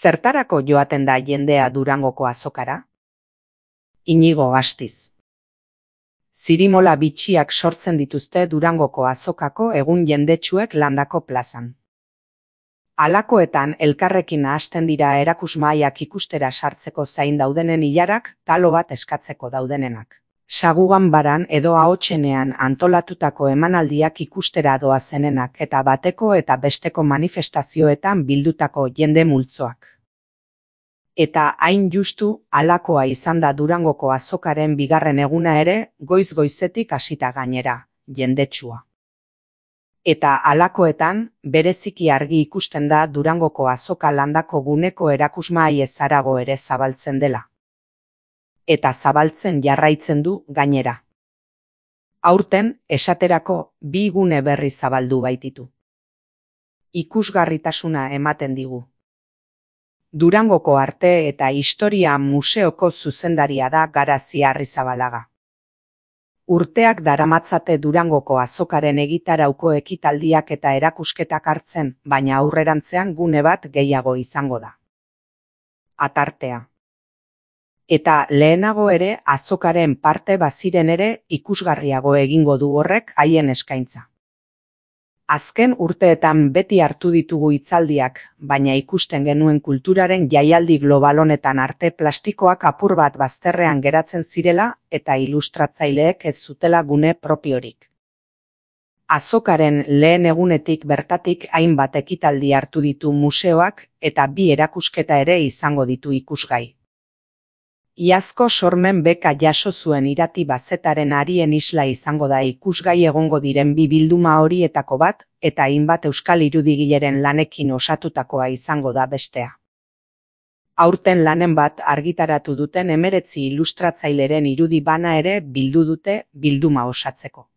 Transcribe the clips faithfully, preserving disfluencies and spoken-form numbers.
Zertarako joaten da jendea Durangoko azokara? Inigo Astiz. Zirimola bitxiak sortzen dituzte Durangoko azokako egun jendetsuek landako plazan. Halakoetan elkarrekin nahasten dira erakusmahaiak ikustera sartzeko zain daudenen ilarak, talo bat eskatzeko daudenenak. Saguganbaran edo ahotsenean antolatutako emanaldiak ikustera doazenenak eta bateko eta besteko manifestazioetan bildutako jende multzoak. Eta hain justu, halakoa izan da Durangoko azokaren bigarren eguna ere, goiz-goizetik hasita gainera, jendetsua. Eta halakoetan, bereziki argi ikusten da Durangoko azoka landako guneko erakusmahai ezarago ere zabaltzen dela. Eta zabaltzen jarraitzen du gainera. Aurten, esaterako, bi gune berri zabaldu baititu. Ikusgarritasuna ematen digu. Durangoko Arte eta Historia Museoko zuzendaria da Garazi Arrizabalaga. Urteak daramatzate Durangoko azokaren egitarauko ekitaldiak eta erakusketak hartzen, baina aurrerantzean gune bat gehiago izango da. Atartea. Eta lehenago ere azokaren parte baziren ere ikusgarriago egingo du horrek haien eskaintza. Azken urteetan beti hartu ditugu hitzaldiak, baina ikusten genuen kulturaren jaialdi global honetan arte plastikoak apur bat bazterrean geratzen zirela eta ilustratzaileek ez zutela gune propiorik. Azokaren lehen egunetik bertatik hainbat ekitaldi hartu ditu museoak eta bi erakusketa ere izango ditu ikusgai. Iazko sormen beka jaso zuen Irati Bazetaren Arien Isla izango da ikusgai egongo diren bi bilduma horietako bat, eta hainbat euskal irudigileren lanekin osatutakoa izango da bestea. Aurten lanen bat argitaratu duten hemeretzi ilustratzaileren irudi bana ere bildu dute bilduma osatzeko.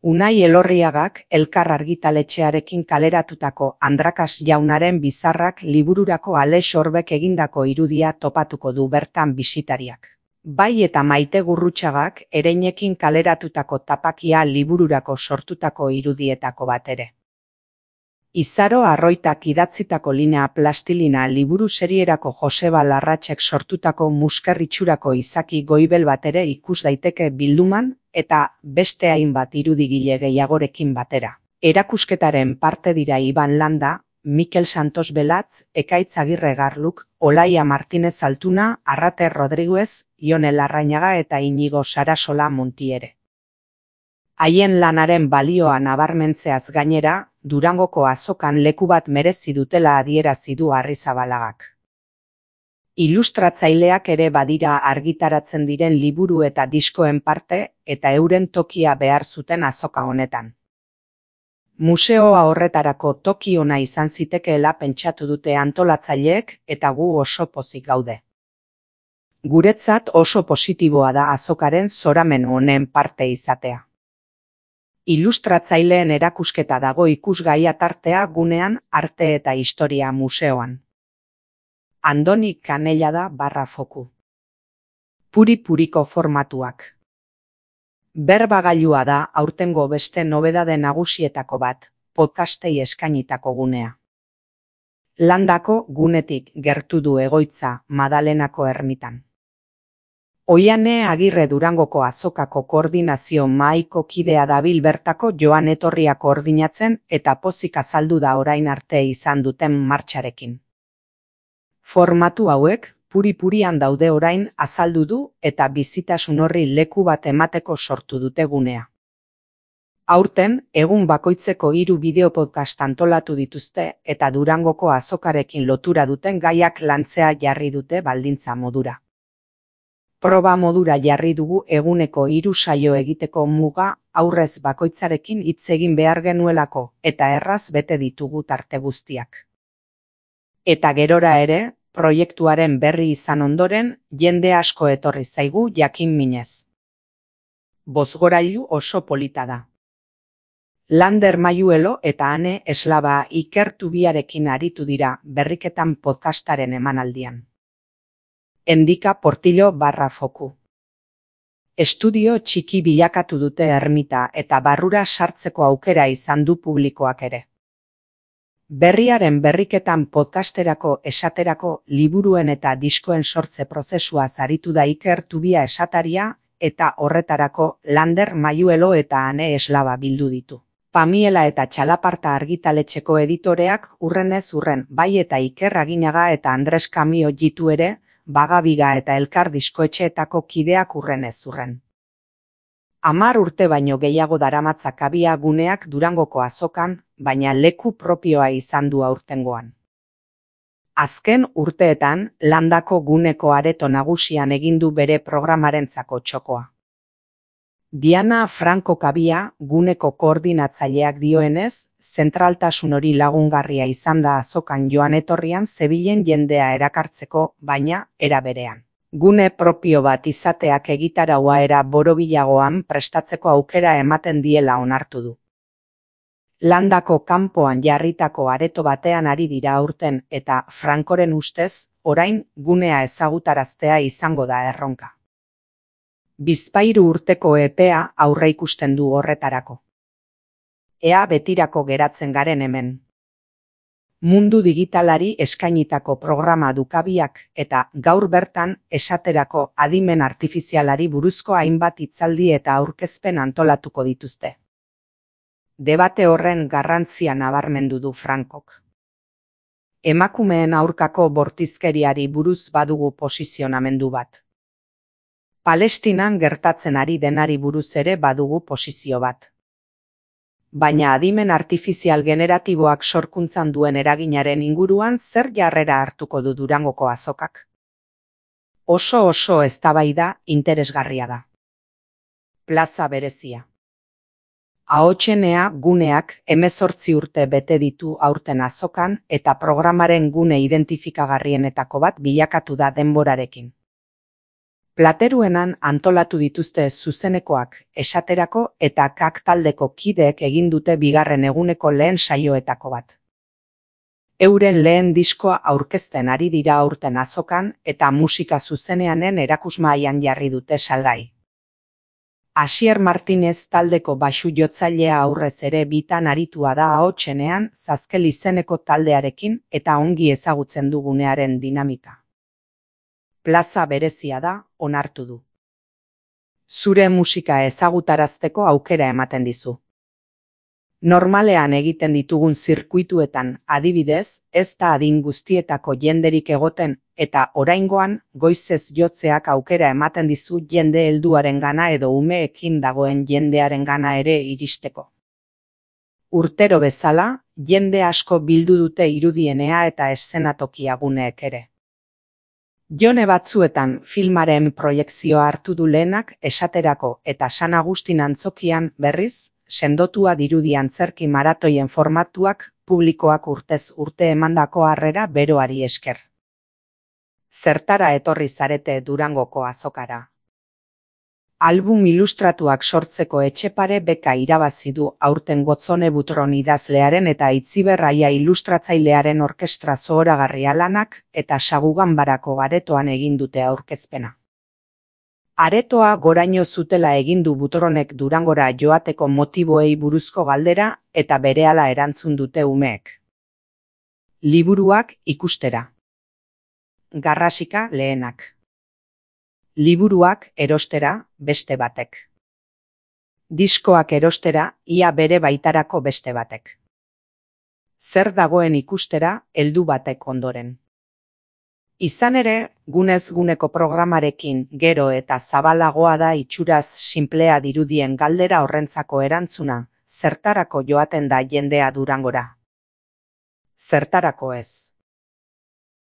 Unai Elorriagak Elkar argitaletxearekin kaleratutako Andrakas jaunaren bizarrak libururako Alex Orbek egindako irudia topatuko du bertan bisitariak. Bai eta Maite Gurrutxagak Ereinekin kaleratutako Tapakia libururako sortutako irudietako bat ere. Izaro Arroitak idatzitako Linea Plastilina liburu serierako Joseba Larratxek sortutako muskerritxurako Izaki Goibel bat ere ikus daiteke bilduman, eta beste hainbat irudigile gehiagorekin batera. Erakusketaren parte dira Iban Landa, Mikel Santos Belatz, Ekaitz Agirre Garluk, Olaia Martinez Altuna, Arrate Rodriguez, Ione Larrañaga eta Inigo Sarasola Montiere. Haien lanaren balioa nabarmentzeaz gainera, Durangoko azokan leku bat merezi dutela adierazi du Arrizabalagak. Ilustratzaileak ere badira argitaratzen diren liburu eta diskoen parte eta euren tokia behar zuten azoka honetan. Museoa horretarako toki ona izan zitekeela pentsatu dute antolatzaileek eta gu oso pozik gaude. Guretzat oso positiboa da azokaren zoramen honen parte izatea. Ilustratzaileen erakusketa dago ikusgai atartea gunean Arte eta Historia Museoan. Andoni Kanellada barra foku. Puri-puriko formatuak. Berbagailua da aurtengo beste nobedade nagusietako bat, podcastei eskainitako gunea. Landako gunetik gertu du egoitza Madalenako ermitan. Oiane Agirre Durangoko azokako koordinazio mahaiko kidea dabil bertako joan etorria koordinatzen eta pozik azaldu da orain arte izan duten martxarekin. Formatu hauek, puri-purian daude orain azaldu du eta bizitasun horri leku bat emateko sortu dute gunea. Aurten, egun bakoitzeko hiru bideopodcast antolatu dituzte eta Durangoko azokarekin lotura duten gaiak lantzea jarri dute baldintza modura. Proba modura jarri dugu eguneko hiru saio egiteko muga aurrez bakoitzarekin hitz egin behar genuelako eta erraz bete ditugu tarte guztiak. Eta gerora ere, proiektuaren berri izan ondoren, jende asko etorri zaigu jakin minez. Bozgorailu oso polita da. Lander Maiuelo eta Ane Eslaba Ikertubiarekin aritu dira berriketan podcastaren emanaldian. Endika Portillo barra foku. Estudio txiki bilakatu dute ermita eta barrura sartzeko aukera izan du publikoak ere. Berriaren berriketan podcasterako esaterako liburuen eta diskoen sortze prozesua aritu da Iker Tubia esataria eta horretarako Lander Mayuelo eta Ane Eslaba bildu ditu. Pamiela eta Txalaparta argitaletxeko editoreak urrenez urren bai eta Iker Aginaga eta Andres Kamio jitu ere, Bagabiga eta Elkar diskoetxeetako kideak urrenez urren. Hamar urte baino gehiago daramatza Kabia guneak Durangoko azokan, baina leku propioa izan du aurtengoan. Azken urteetan, Landako guneko areto nagusian egin du bere programarentzako txokoa. Diana Franco Kabia, guneko koordinatzaileak dioenez, zentraltasun hori lagungarria izan da azokan joan etorrian zebilen jendea erakartzeko, baina era berean. Gune propio bat izateak egitaraua era borobilagoan prestatzeko aukera ematen diela onartu du. Landako kanpoan jarritako areto batean ari dira aurten eta Frankoren ustez, orain gunea ezagutaraztea izango da erronka. Bizpahiru urteko epea aurreikusten du horretarako. Ea betirako geratzen garen hemen. Mundu digitalari eskainitako programa du Kabiak eta gaur bertan esaterako adimen artifizialari buruzko hainbat hitzaldi eta aurkezpen antolatuko dituzte. Debate horren garrantzia nabarmendu du Frankok. Emakumeen aurkako bortizkeriari buruz badugu posizionamendu bat. Palestinan gertatzen ari denari buruz ere badugu posizio bat. Baina adimen artifizial generatiboak sorkuntzan duen eraginaren inguruan zer jarrera hartuko du Durangoko azokak? Oso oso eztabaida interesgarria da. Plaza berezia. Ahotsenea guneak hemezortzi urte bete ditu aurten azokan eta programaren gune identifikagarrienetako bat bilakatu da denborarekin. Plateruenan antolatu dituzte zuzenekoak, esaterako eta kak taldeko kideek egin dute bigarren eguneko lehen saioetako bat. Euren lehen diskoa aurkezten ari dira aurten azokan eta musika zuzeneanen erakusmahaian jarri dute salgai. Asier Martinez taldeko baxu jotzailea aurrez ere bitan aritua da ahotsenean Zazkel izeneko taldearekin eta ongi ezagutzen du gunearen dinamika. Plaza berezia da, onartu du. Zure musika ezagutarazteko aukera ematen dizu. Normalean egiten ditugun zirkuituetan, adibidez, ez da adin guztietako jenderik egoten, eta oraingoan goizez jotzeak aukera ematen dizu jende helduarengana edo umeekin dagoen jendearengana ere iristeko. Urtero bezala, jende asko bildu dute irudienea eta eszenatokia guneek ere. Jone batzuetan filmaren proiekzioa hartu du lehenak esaterako eta San Agustin antzokian berriz, sendotua dirudi antzerki maratoien formatuak publikoak urtez urte emandako harrera beroari esker. Zertara etorri zarete Durangoko azokara. Album ilustratuak sortzeko Etxepare beka irabazi du aurten Gotzone Butron idazlearen eta Itziber Aia ilustratzailearen orkestra zohoragarria lanak eta Saguganbarako aretoan egin dute aurkezpena. Aretoa goraino zutela egin du Butronek Durangora joateko motiboei buruzko galdera eta berehala erantzun dute umeek. Liburuak ikustera. Garrasika lehenak. Liburuak erostera beste batek. Diskoak erostera ia bere baitarako beste batek. Zer dagoen ikustera heldu batek ondoren. Izan ere, gunez guneko programarekin gero eta zabalagoa da itxuraz sinplea dirudien galdera horrentzako erantzuna, zertarako joaten da jendea Durangora. Zertarako ez.